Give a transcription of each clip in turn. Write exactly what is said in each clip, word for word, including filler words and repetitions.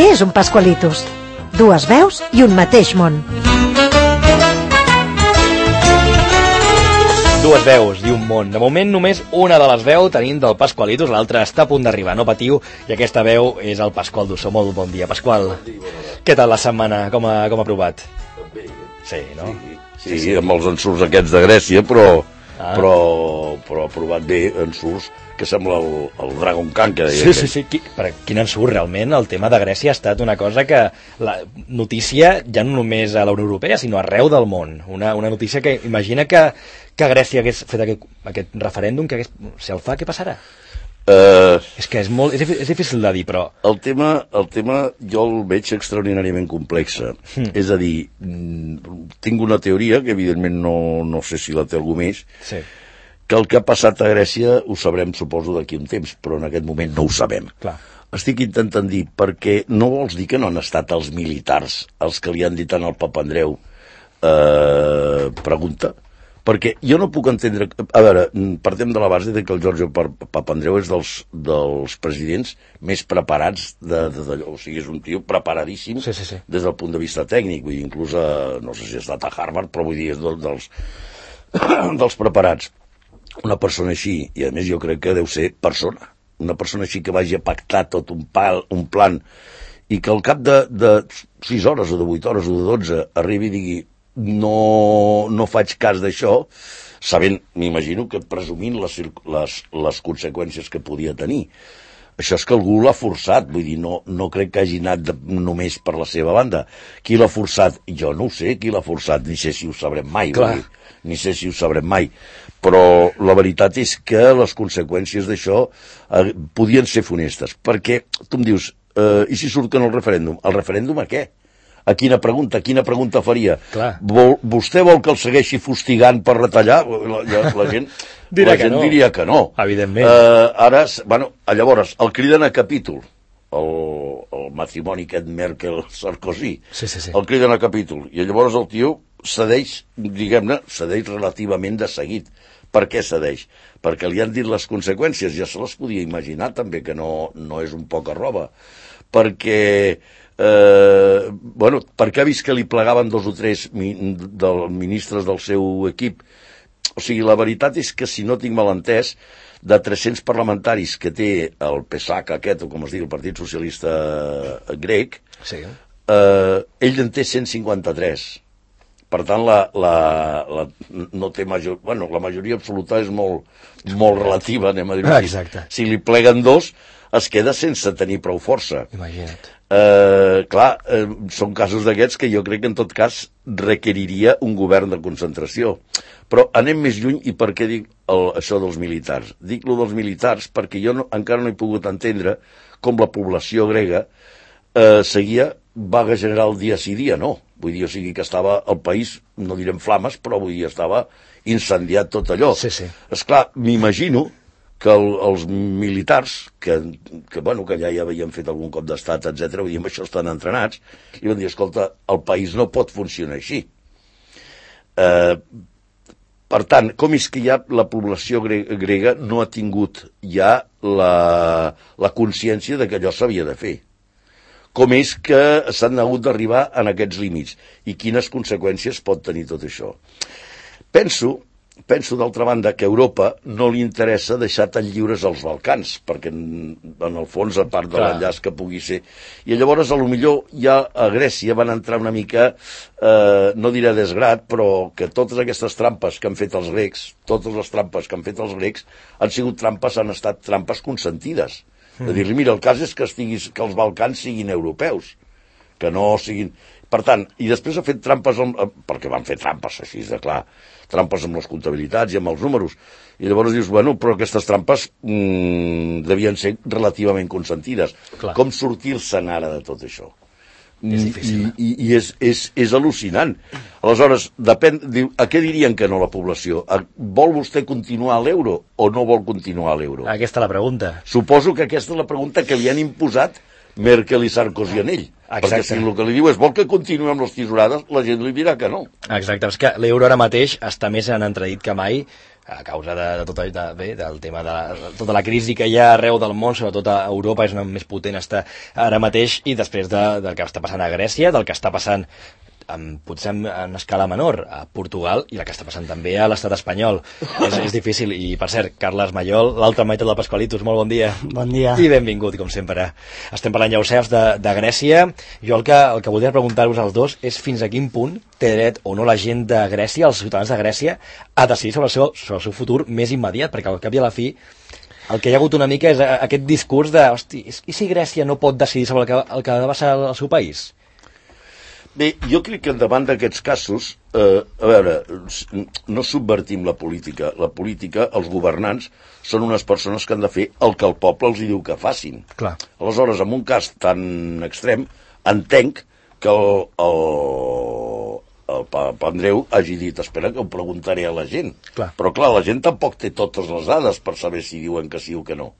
Què és un Pascualitos? Dues veus i un mateix món. Dues veus i un món. De moment només una de les veus tenim del Pascualitos, l'altra està a punt d'arribar, no patiu, i aquesta veu és el Pasqual Dussó. Molt bon dia, Pasqual. Bon dia, bon dia. Què tal la setmana? Com ha, com ha provat? Bé. Sí, no? Sí, sí, sí, amb els ensurts aquests de Grècia, però, ah. però, però ha provat bé ensurts que sembla el, el Dragon Khan que deia. Sí, sí, sí. Qui, per quin ensurt, realment, el tema de Grècia ha estat una cosa que la notícia ja no només a la Unió Europea, sinó arreu del món. Una, una notícia que imagina que, que Grècia hagués fet aquest, aquest referèndum, que hagués, si el fa, què passarà? Uh, és que és, molt, és, és difícil de dir, però... El tema, el tema jo el veig extraordinàriament complex. Mm. És a dir, tinc una teoria, que evidentment no, no sé si la té algú més, sí. que el que ha passat a Grècia ho sabrem, suposo, d'aquí un temps, però en aquest moment no ho sabem. Clar. Estic intentant dir, perquè no vols dir que no han estat els militars els que li han dit al Papandreou eh, pregunta? Perquè jo no puc entendre... A veure, partem de la base de que el Giorgio Papandreou és dels, dels presidents més preparats de, de, de, o sigui, és un tio preparadíssim sí, sí, sí. des del punt de vista tècnic, vull dir, inclús a, no sé si ha estat a Harvard, però vull dir, és dels, dels, dels preparats. Una persona així, i a més jo crec que deu ser persona, una persona així que vagi a pactar tot un, pal, un plan i que al cap de, de sis hores o de vuit hores o de dotze arribi i digui no, no faig cas d'això, sabent, m'imagino que presumint les, les, les conseqüències que podia tenir. Això és que algú l'ha forçat, vull dir, no, no crec que hagi anat de, només per la seva banda. Qui l'ha forçat? Jo no ho sé, qui l'ha forçat, ni sé si ho sabrem mai, vull dir, ni sé si ho sabrem mai. Però la veritat és que les conseqüències d'això eh, podien ser funestes, perquè tu em dius, eh, i si surt que no el referèndum? El referèndum a què? A quina pregunta? Quina pregunta faria? Vol, vostè vol que el segueixi fustigant per retallar? La, la, la gent, la gent no. diria que no. Evidentment. Uh, ara, bueno, llavors, el criden a capítol, el, el matrimoni aquest Merkel-Sarkozy, sí, sí, sí. el criden a capítol, i llavors el tio cedeix, diguem-ne, cedeix relativament de seguit. Per què cedeix? Perquè li han dit les conseqüències, ja se les podia imaginar també, que no, no és un poca roba. Perquè... Eh, bueno, perquè ha vist que li plegaven dos o tres mi, del, ministres del seu equip. O sigui, la veritat és que, si no tinc mal entès, de tres-cents parlamentaris que té el P S A C aquest, o com es diu, el Partit Socialista Grec, sí. eh, ell en té cent cinquanta-tres. Per tant, la, la, la, no té major, bueno, la majoria absoluta és molt, molt relativa, anem a dir. Exacte. Si li pleguen dos, es queda sense tenir prou força. Imagina't. Eh, clar, eh, són casos d'aquests que jo crec que en tot cas requeriria un govern de concentració. Però anem més lluny, i per què dic el, això dels militars? Dic lo dels militars perquè jo no, encara no he pogut entendre com la població grega eh, seguia vaga general dia sí dia no. Vull dir, o sigui que estava el país, no direm flames, però vull dir, estava incendiat tot allò. Sí, sí. Esclar, m'imagino que el, els militars, que, que, bueno, que ja hi havien fet algun cop d'estat, etcètera, vull dir, amb això estan entrenats, i van dir, escolta, el país no pot funcionar així. Eh, per tant, com és que ja la població grega no ha tingut ja la, la consciència de que allò s'havia de fer? Com és que s'han hagut d'arribar en aquests límits? I quines conseqüències pot tenir tot això? Penso... Penso, d'altra banda, que a Europa no li interessa deixar tan lliures els Balcans, perquè, en el fons, a part de l'enllaç que pugui ser... I llavors, a lo millor, ja a Grècia van entrar una mica, eh, no diré desgrat, però que totes aquestes trampes que han fet els grecs, totes les trampes que han fet els grecs, han sigut trampes, han estat trampes consentides. Mm. De dir-li, mira, el cas és que, estiguis, que els Balcans siguin europeus, que no siguin... Per tant, i després ha fet trampes, amb, perquè van fer trampes, així de clar, trampes amb les comptabilitats i amb els números. I llavors dius, bueno, però aquestes trampes mmm, devien ser relativament consentides. Clar. Com sortir-se'n ara de tot això? És difícil. I, i, i és, és, és al·lucinant. Aleshores, depèn, diu, a què dirien que no la població? A, vol vostè continuar a l'euro o no vol continuar a l'euro? Aquesta és la pregunta. Suposo que aquesta és la pregunta que li han imposat Merkel i Sarkozy en ell. Exacte. Perquè si el que li diu és vol que continuï amb les tisorades, la gent li dirà que no. Exacte, és que l'euro ara mateix està més en entredit que mai, a causa de, de, tot, de, bé, del tema de, de tota la crisi que hi ha arreu del món, sobretot a Europa, és una més potent està ara mateix, i després de, del que està passant a Grècia, del que està passant en, potser en escala menor a Portugal i la que està passant també a l'estat espanyol. És, és difícil. I per cert, Carles Mallol, l'altre meitat del Pasqualitos, molt bon dia. Bon dia. I benvingut, com sempre. Estem parlant, ja ho saps, de, de Grècia. Jo el que, el que voldria preguntar-vos als dos és fins a quin punt té dret o no la gent de Grècia, els ciutadans de Grècia, a decidir sobre el seu, sobre el seu futur més immediat, perquè al cap i a la fi el que hi ha hagut una mica és aquest discurs de, hosti, i si Grècia no pot decidir sobre el que, el que ha de passar al seu país? Bé, jo crec que davant d'aquests casos, eh, a veure, no subvertim la política. La política, els governants, són unes persones que han de fer el que el poble els diu que facin. Clar. Aleshores, en un cas tan extrem, entenc que el, el, el Papandreou hagi dit, espera que ho preguntaré a la gent. Clar. Però clar, la gent tampoc té totes les dades per saber si diuen que sí o que no.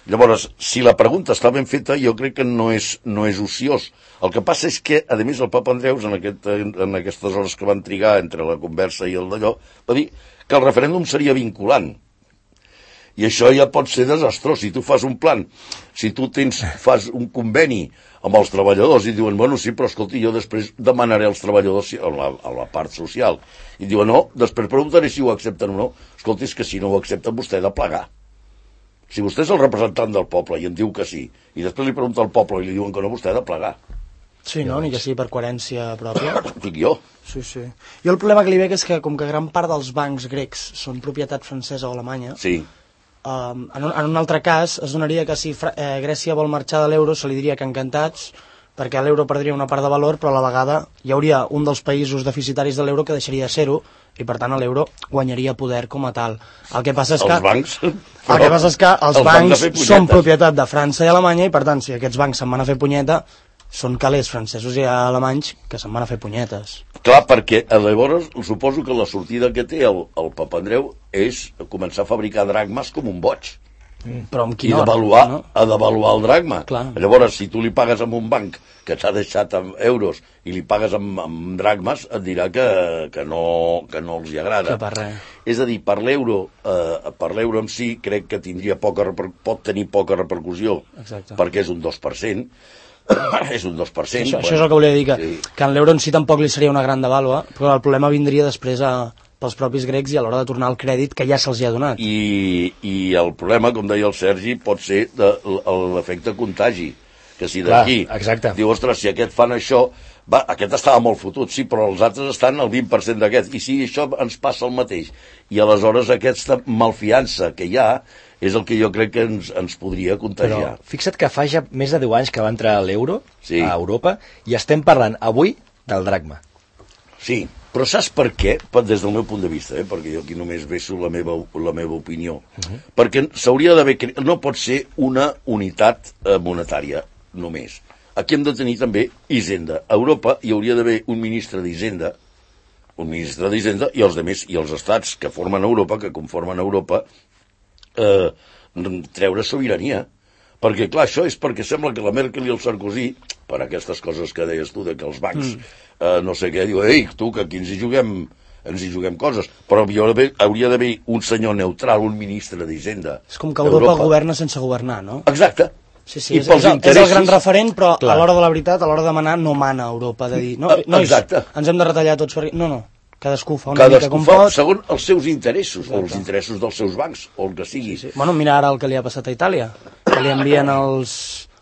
Llavors, si la pregunta està ben feta, jo crec que no és, no és ociós. El que passa és que, a més, el Papandreou, en, aquest, en aquestes hores que van trigar entre la conversa i el d'allò, va dir que el referèndum seria vinculant. I això ja pot ser desastrós. Si tu fas un plan, si tu tens, fas un conveni amb els treballadors i diuen, bueno, sí, però escolti, jo després demanaré als treballadors a la, a la part social. I diuen, no, després preguntaré si ho accepten o no. Escolti, és que si no ho accepten, vostè ha de plegar. Si vostè és el representant del poble i em diu que sí, i després li pregunta al poble i li diuen que no, vostè ha de plegar. Sí, no? Ni que sigui per coherència pròpia. Dic jo. Sí, sí. Jo el problema que li veig és que, com que gran part dels bancs grecs són propietat francesa o alemanya, sí. um, en, un, en un altre cas es donaria que si Fra eh, Grècia vol marxar de l'euro se li diria que encantats, perquè l'euro perdria una part de valor, però a la vegada hi hauria un dels països deficitaris de l'euro que deixaria de ser-ho, i per tant l'euro guanyaria poder com a tal. El que passa és que els bancs, el que passa és que els, els bancs, bancs són propietat de França i Alemanya, i per tant si aquests bancs se'n van a fer punyeta, són calés francesos i alemanys que se'n van a fer punyetes. Clar, perquè llavors suposo que la sortida que té el, el Papandreou és començar a fabricar dracmes com un boig. Mm. Però amb I quin hora, devaluar, no? a devaluar el dracma. Clar. Llavors, si tu li pagues amb un banc que t'ha deixat amb euros i li pagues amb, amb dracmes, et dirà que, que, no, que no els hi agrada. Que per res. És a dir, per l'euro eh, per l'euro en si crec que tindria poca reper... pot tenir poca repercussió. Exacte. Perquè és un dos per cent. És un dos per cent. Això, bueno, això és el que volia dir, que, sí. que en l'euro en si tampoc li seria una gran devàlua, però el problema vindria després a... pels propis grecs i a l'hora de tornar el crèdit que ja se'ls hi ha donat. I, i el problema, com deia el Sergi, pot ser l'efecte contagi. Que si d'aquí diu, ostres, si aquest fan això, va, aquest estava molt fotut, sí, però els altres estan al vint per cent d'aquest, i si això ens passa el mateix. I aleshores aquesta malfiança que hi ha és el que jo crec que ens, ens podria contagiar. Però fixa't que fa ja més de deu anys que va entrar l'euro sí. a Europa i estem parlant avui del dracma. Sí, però saps per què? Des del meu punt de vista, eh? Perquè jo aquí només vejo la meva, la meva opinió. Uh-huh. Perquè s'hauria d'haver... No pot ser una unitat eh, monetària només. Aquí hem de tenir també Hisenda. A Europa hi hauria d'haver un ministre d'Hisenda, un ministre d'Hisenda i els demés, i els estats que formen Europa, que conformen Europa, eh, treure sobirania. Perquè, clar, això és perquè sembla que la Merkel i el Sarkozy, per aquestes coses que deies tu, de que els bancs, mm. eh, no sé què, diu, ei, tu, que aquí ens hi juguem, ens hi juguem coses. Però hauria d'haver un senyor neutral, un ministre d'Hisenda. És com que Europa governa sense governar, no? Exacte. Sí, sí, és, és, el, és el gran referent, però clar. A l'hora de la veritat, a l'hora de demanar, no mana Europa, de dir, no, nois, exacte. Ens hem de retallar tots per... No, no. Cadascú fa una Cadascú mica com fa, pot. Segons els seus interessos, exacte. O els interessos dels seus bancs, o el que sigui. Sí, sí. Bueno, mira ara el que li ha passat a Itàlia, que li envien els,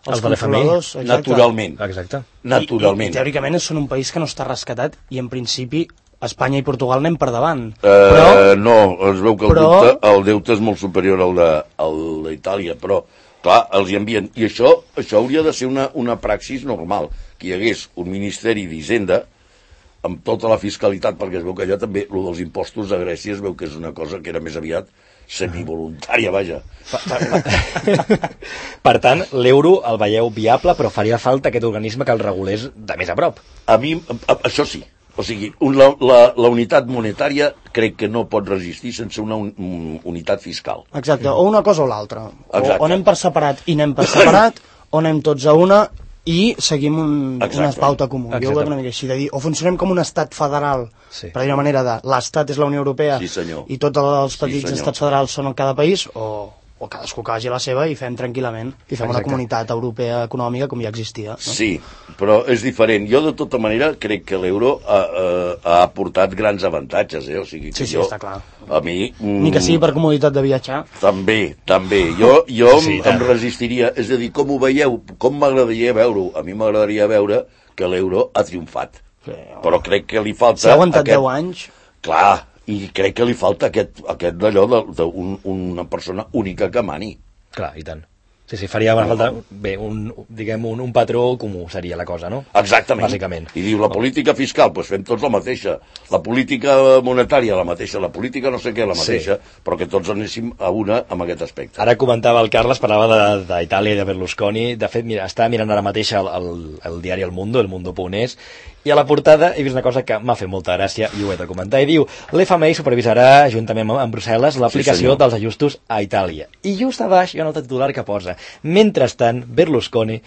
els controladors. Naturalment. Exacte. Naturalment. I, i, teòricament són un país que no està rescatat i en principi Espanya i Portugal anem per davant. Uh, però, no, es veu que el, però... deute, el deute és molt superior al d'Itàlia, però clar, els hi envien. I això, això hauria de ser una, una praxis normal, que hi hagués un Ministeri d'Hisenda amb tota la fiscalitat, perquè es veu que allà també el dels impostos a Grècia es veu que és una cosa que era més aviat semivoluntària, vaja. Per tant, l'euro el veieu viable, però faria falta aquest organisme que el regulés de més a prop. A mi, a, això sí. O sigui, un, la, la, la unitat monetària crec que no pot resistir sense una un, un, unitat fiscal. Exacte, o una cosa o l'altra. O, o anem per separat i anem per separat, o anem tots a una i seguim un, una pauta comú. Exacte. Jo ho veig una mica així, de dir, o funcionem com un estat federal, sí. per dir una manera de l'estat és la Unió Europea sí, i tots els petits sí, estats federals són en cada país, o, o cadascú que vagi a la seva i fem tranquil·lament, i fem Exacte. Una comunitat europea econòmica com ja existia. No? Sí, però és diferent. Jo, de tota manera, crec que l'euro ha, ha, ha aportat grans avantatges, eh? O sigui que sí, sí, jo, està clar. A mi... Mm, Ni que sigui per comoditat de viatjar. També, també. Jo, jo sí, em, em resistiria. És a dir, com ho veieu? Com m'agradaria veure-ho? A mi m'agradaria veure que l'euro ha triomfat. Sí, però crec que li falta... Si ha aguantat aquest... deu anys... Clar, i crec que li falta aquest, aquest d'allò d'una un, persona única que mani. Clar, i tant. Sí, sí, faria una falta, bé, un, diguem, un, un patró comú seria la cosa, no? Exactament. Bàsicament. I diu, la política fiscal, doncs fem tots la mateixa. La política monetària, la mateixa. La política no sé què, la mateixa. Sí. Però que tots anéssim a una amb aquest aspecte. Ara comentava el Carles, parlava d'Itàlia i de Berlusconi. De fet, mira, està mirant ara mateix el, el, el diari El Mundo, el Mundo punt es, i a la portada he vist una cosa que m'ha fet molta gràcia i ho he de comentar. I diu, l'F M I supervisarà, juntament amb Brussel·les, l'aplicació sí, dels ajustos a Itàlia. I just a baix hi ha un altre titular que posa, mentrestant, Berlusconi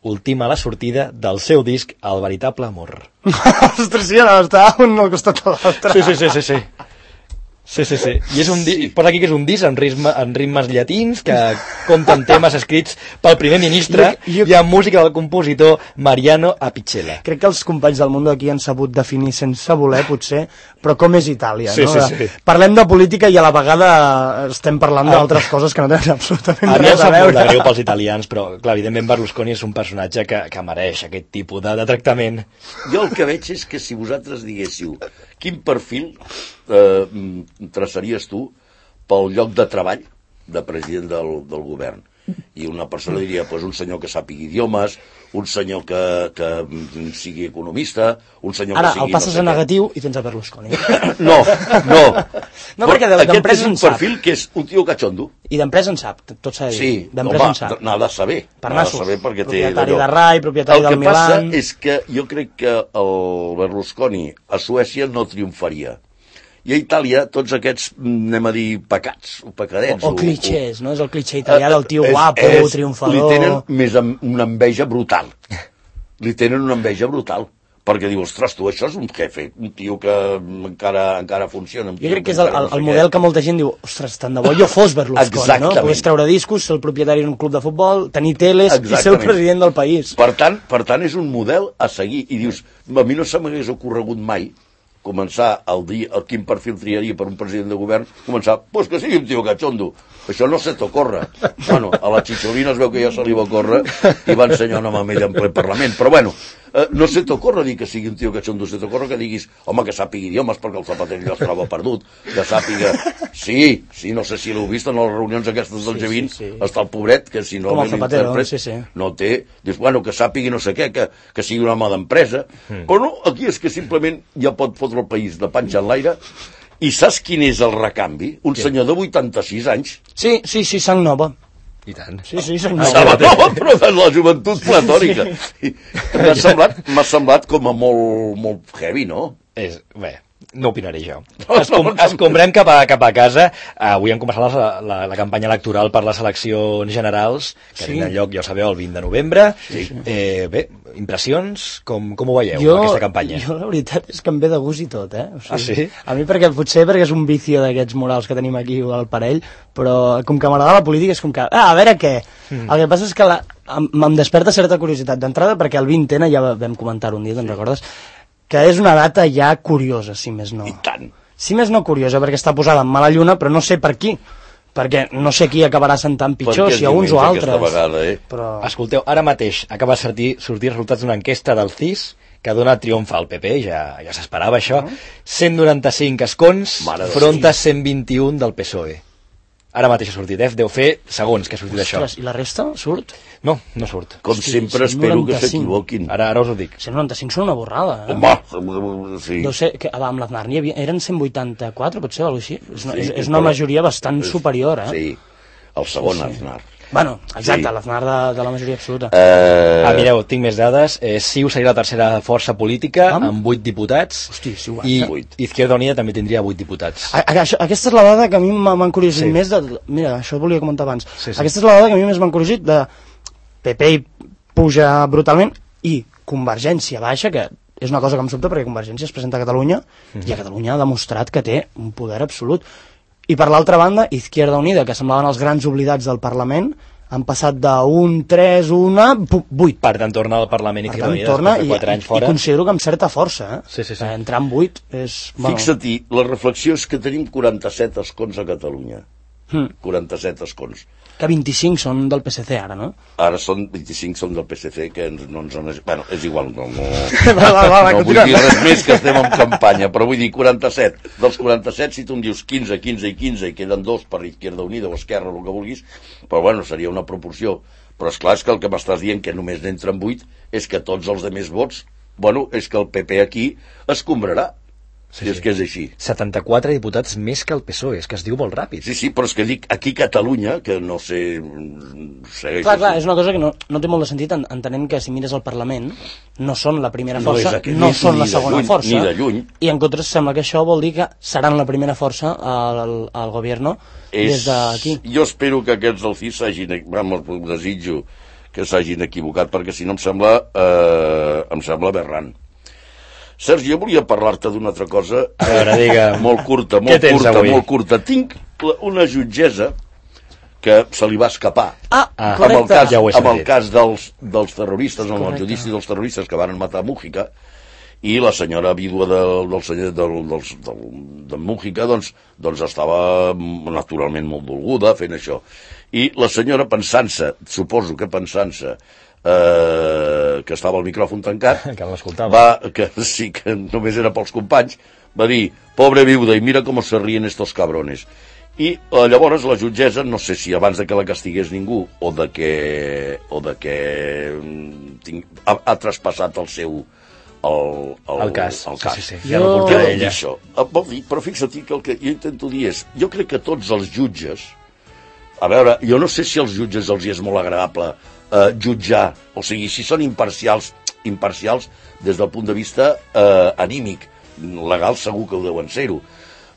ultima la sortida del seu disc El veritable amor. Ostres, sí, no, està un al costat de l'altre. Sí, sí, sí, sí, sí. Sí, sí, sí. I és un di... posa aquí que és un disc en, ritme, en ritmes llatins que compta amb temes escrits pel primer ministre jo, jo... i amb música del compositor Mariano Apicella. Crec que els companys del món aquí han sabut definir sense voler, potser, però com és Itàlia, sí, no? Sí, sí. Parlem de política i a la vegada estem parlant d'altres coses que no tenen absolutament a res a veure. A mi em greu pels italians, però clar, evidentment Berlusconi és un personatge que, que mereix aquest tipus de, de tractament. Jo el que veig és que si vosaltres diguéssiu quin perfil eh, traçaries tu pel lloc de treball de president del, del govern, i una persona diria, pues, un senyor que sàpigui idiomes, un senyor que, que sigui economista, un senyor Ara, que sigui... Ara, el passes no sé a negatiu i tens a Berlusconi. No, no. No, perquè aquest és un perfil que és un tio cachondo. I d'empresa en sap, tot s'ha de dir. Sí, d'empresa en sap. N'ha de saber. Per n'ha nassos. de saber perquè propietari té de Rai, propietari del Milan... El que passa és que jo crec que el Berlusconi a Suècia no triomfaria. I a Itàlia, tots aquests, anem a dir, pecats, o pecadets... O, o clichés, no? És el cliché italià del tio guapo, és, triomfador... Li tenen més una enveja brutal. Li tenen una enveja brutal. Perquè diu, ostres, tu, això és un jefe, un tio que encara, encara funciona. Jo crec que és el, el, el model que molta gent diu, ostres, tant de bo jo fos Berlusconi, Exactament. No? Pogués treure discos, ser el propietari d'un club de futbol, tenir teles Exactament. I ser el president del país. Per tant, per tant, és un model a seguir. I dius, a mi no se m'hagués ocorregut mai començar el dia, el quin perfil triaria per un president de govern, començar, pues que sigui un tio cachondo. Això no se t'ocorre. Bueno, a la Chicholina es veu que ja se li va ocórrer i va ensenyar una mamella en ple Parlament. Però bueno, eh, no se t'ocorre dir que sigui un tio cachondo, se t'ocorre que diguis, home, que sàpigui idiomes perquè el Zapatero ja es troba perdut, que sàpiga... Sí, sí, no sé si l'heu vist en les reunions aquestes del sí, G vint, sí, sí. Està el pobret, que si no... Com el Zapatero, sí, sí. No té... Dius, bueno, que sàpigui no sé què, que, que sigui un home d'empresa. Mm. Però no, aquí és que simplement ja pot fotre el país de panxa en l'aire. I saps quin és el recanvi? Un sí. senyor de vuitanta-sis anys. Sí, sí, sí, sang nova. I tant. Sí, sí, sang nova. Sang nova, però de la joventut platòrica. Sí. M'ha semblat, m'ha semblat com a molt, molt heavy, no? És, bé, no opinaré jo. Escom escombrem cap a, cap a casa. Avui hem començat la, la, la campanya electoral per les eleccions generals, que sí. tenen lloc, ja ho sabeu, el vint de novembre. Sí. Eh, bé, impressions? Com, com ho veieu, jo, aquesta campanya? Jo, la veritat, és que em ve de gust i tot, eh? O sigui, ah, sí? A mi perquè, potser perquè és un vicio d'aquests morals que tenim aquí al parell, però com que m'agrada la política és com que, ah, a veure què? Mm. El que passa és que la, em, em desperta certa curiositat d'entrada, perquè el vint ena, ja vam comentar un dia, te'n sí. recordes? Que és una data ja curiosa, si més no. I tant. Si més no curiosa, perquè està posada en mala lluna, però no sé per qui. Perquè no sé qui acabarà sentant pitjor, si a uns o altres. Vegada, eh? Però... Escolteu, ara mateix acaba de sortir, sortir resultats d'una enquesta del C I S que dona triomf al P P, ja, ja s'esperava això, uh -huh. cent noranta-cinc escons front a cent vint-i-un del P S O E. Ara mateix ha sortit, eh? Deu fer segons que ha sortit això. I la resta surt? No, no surt. Com Hosti, sempre espero que s'equivoquin. Ara, ara us ho dic. cent noranta-cinc són una borrada, eh? Home, sí. Deu ser que amb l'Aznar n'hi havia... Eren cent vuitanta-quatre, potser, o alguna cosa així. És una, sí, és, és una majoria bastant és, superior, eh? Sí, el segon sí, sí. Aznar. Bueno, exacte, sí. l'Aznar de, de la majoria absoluta. Uh... Ah, mireu, tinc més dades. Eh, CiU seria la tercera força política, amb, amb vuit diputats. Hosti, sí, i Izquierda Unida també tindria vuit diputats. A, a, això, aquesta és la dada que a mi m'ha encuriosit sí. més de... Mira, això ho volia comentar abans. Sí, sí. Aquesta és la dada que a mi més m'ha encuriosit de P P i puja brutalment, i Convergència baixa, que és una cosa que em sobta perquè Convergència es presenta a Catalunya mm-hmm. i a Catalunya ha demostrat que té un poder absolut. I per l'altra banda, Izquierda Unida, que semblaven els grans oblidats del Parlament, han passat d'un tres, una, vuit. Per tant, torna al Parlament i Izquierda Unida després de quatre anys fora. I considero que amb certa força, eh? Sí, sí, sí. Entrar en vuit és... Bueno. Fixa-t'hi, la reflexió és que tenim quaranta-set escons a Catalunya. Hmm. quaranta-set escons. Que vint-i-cinc són del P S C ara, no? Ara són vint-i-cinc són del P S C, que ens, no ens han... Bueno, és igual, no, no, va, va, va, no vull dir res més, que estem en campanya, però vull dir quaranta-set. Dels quaranta-set, si tu em dius quinze, quinze i quinze, i queden dos per Izquierda Unida o Esquerra, el que vulguis, però bueno, seria una proporció. Però és clar, és que el que m'estàs dient, que només n'entren vuit, és que tots els demés vots, bueno, és que el P P aquí escombrarà. Sí, sí. És que és així. setanta-quatre diputats més que el P S O E, és que es diu molt ràpid. Sí, sí, però és que dic, aquí Catalunya, que no sé... Segueix clar, clar, és una cosa que no, no té molt de sentit, entenent que si mires el Parlament, no són la primera força, no, aquest, no són la segona lluny, força, ni de lluny. I en contra sembla que això vol dir que seran la primera força al, al govern des d'aquí. Jo espero que aquests del C I S s'hagin... Vamos, desitjo que s'hagin equivocat, perquè si no em sembla... Eh, em sembla aberrant. Sergi, jo volia parlar-te d'una altra cosa a veure, digue, molt curta, molt curta, avui? molt curta. Tinc una jutgessa que se li va escapar ah, ah, amb el cas, ja amb el cas dels, dels terroristes, amb el judici dels terroristes que van matar Mújica, i la senyora vídua del, del senyor del, del, del, del Mújica doncs, doncs estava naturalment molt dolguda fent això. I la senyora, pensant-se, suposo que pensant-se, Eh, que estava el micròfon tancat, que l'escoltava, va, que sí, que només era pels companys, va dir, pobre viuda, i mira com se ríen estos cabrones. I eh, llavors la jutgessa, no sé si abans de que la castigués ningú, o de que, o de que tinc, ha, ha traspassat el seu el, el, el cas, el cas. Sí, sí, sí. Ja no portarà ella. Això. Vol dir, però fixa't que el que jo intento dir és, jo crec que tots els jutges, a veure, jo no sé si als jutges els hi és molt agradable Uh, jutjar, o sigui, si són imparcials imparcials des del punt de vista uh, anímic, legal segur que ho deuen ser-ho.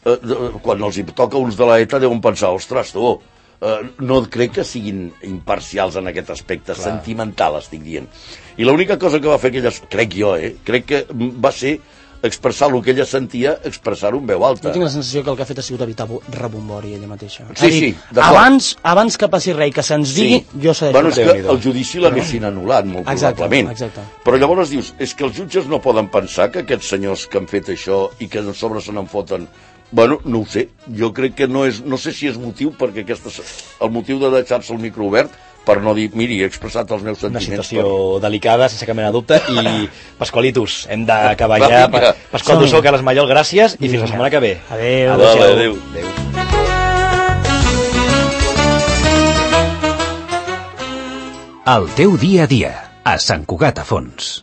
Uh, de, quan els hi toca uns de la ETA deuen pensar, ostres, tu, uh, no crec que siguin imparcials en aquest aspecte. Clar. Sentimental, estic dient. I l'única cosa que va fer aquelles, crec jo, eh, crec que va ser expressar el que ella sentia, expressar-ho en veu alta. Jo tinc la sensació que el que ha fet ha sigut evitar rebombori ella mateixa. Sí, sí, abans, abans que passi res i que se'ns digui, sí. Jo sé... Bueno, és que el judici l'haguessin anul·lat, molt exacte, probablement. Exacte. Però llavors dius, és que els jutges no poden pensar que aquests senyors que han fet això i que a sobre se n'en foten... Bueno, no ho sé. Jo crec que no és... No sé si és motiu, perquè aquesta, el motiu de deixar-se el micro obert per no dir, miri, he expressat els meus sentiments. Una situació per... delicada, sense cap mena de dubte, i Pasqualitos, hem d'acabar ja. Pa... Pasqual Dussó, Carles Mallol, gràcies, i fins la setmana que ve. Adéu. Adéu. Adéu. Adéu. El teu dia a dia, a Sant Cugat a Fons.